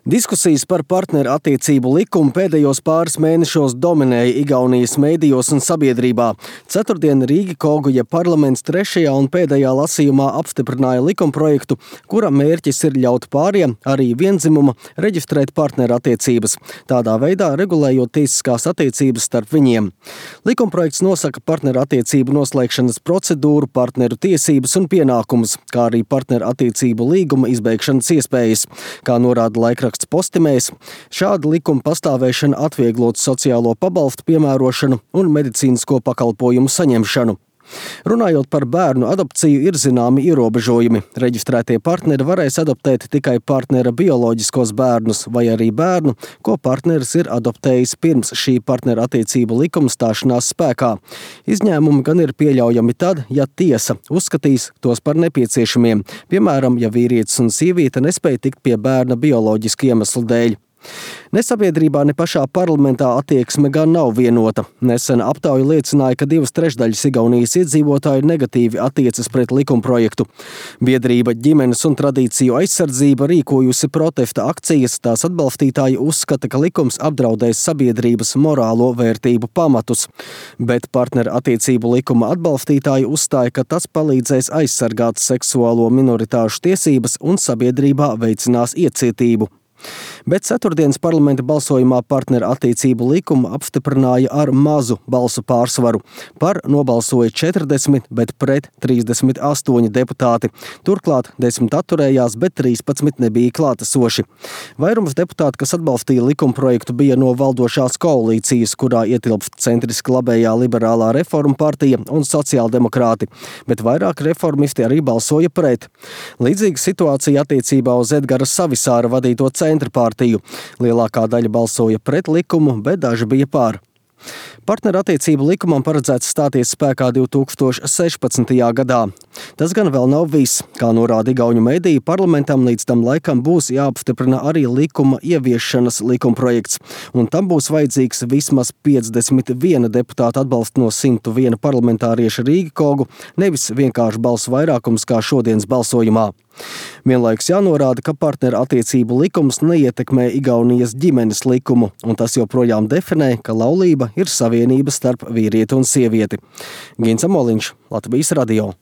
Diskusijas par partneru attiecību likumu pēdējos pāris mēnešos dominēja Igaunijas mēdījos un sabiedrībā. Ceturtdien Rīgikoguja parlaments 3. un pēdējā lasījumā apstiprināja likumprojektu, kura mērķis ir ļaut pāriem, arī vienzimuma, reģistrēt partneru attiecības, tādā veidā regulējot tiesiskās attiecības starp viņiem. Likumprojekts nosaka partneru attiecību noslēgšanas procedūru, partneru tiesības un pienākumus, kā arī partneru attiecību līguma izbeigšanas iespējas, kā norāda laikraksts Postimējs. Šāda likuma pastāvēšana atvieglot sociālo pabalstu piemērošanu un medicīnisko pakalpojumu saņemšanu. Runājot par bērnu adopciju, ir zināmi ierobežojumi. Reģistrētie partneri varēs adoptēt tikai partnera bioloģiskos bērnus vai arī bērnu, ko partneris ir adoptējis pirms šī partneru attiecību likuma stāšanās spēkā. Izņēmumi gan ir pieļaujami tad, ja tiesa uzskatīs tos par nepieciešamiem, piemēram, ja vīrietis un sieviete nespēja tikt pie bērna bioloģiski iemeslu dēļ. Ne sabiedrībā, ne pašā parlamentā attieksme gan nav vienota. Nesena aptauja liecināja, ka 2/3 Igaunijas iedzīvotāju negatīvi attiecas pret likumprojektu. Biedrība Ģimenes un tradīciju aizsardzība rīkojusi protesta akcijas, tās atbalstītāji uzskata, ka likums apdraudēs sabiedrības morālo vērtību pamatus. Bet partneru attiecību likuma atbalstītāji uzstāja, ka tas palīdzēs aizsargāt seksuālo minoritāšu tiesības un sabiedrībā veicinās iecietību. Bet ceturtdienas parlamenta balsojumā partneru attiecību likumu apstiprināja ar mazu balsu pārsvaru. Par nobalsoja 40, bet pret 38 deputāti. Turklāt 10 atturējās, bet 13 nebija klātesoši. Vairums deputāti, kas atbalstīja likumprojektu, bija no valdošās koalīcijas, kurā ietilpst centriski labējā liberālā reformu partija un sociāldemokrāti, bet vairāk reformisti arī balsoja pret. Līdzīga situācija attiecībā uz Edgara Savisāra vadīto centra partiju. Lielākā daļa balsoja pret likumu, bet daži bija pār. Partneru attiecību likumam paredzēts stāties spēkā 2016. gadā. Tas gan vēl nav viss. Kā norāda igauņu mediji, parlamentam līdz tam laikam būs jāapstiprina arī likuma ieviešanas likumprojekts, un tam būs vajadzīgs vismaz 51 deputāta atbalsts no 101 parlamentārieša Rīgikogu, nevis vienkārši balsu vairākums kā šodienas balsojumā. Vienlaikus jānorāda, ka partneru attiecību likums neietekmē Igaunijas ģimenes likumu, un tas joprojām definē, ka laulība ir savienība starp vīrieti un sievieti. Gins Amoliņš, Latvijas radio.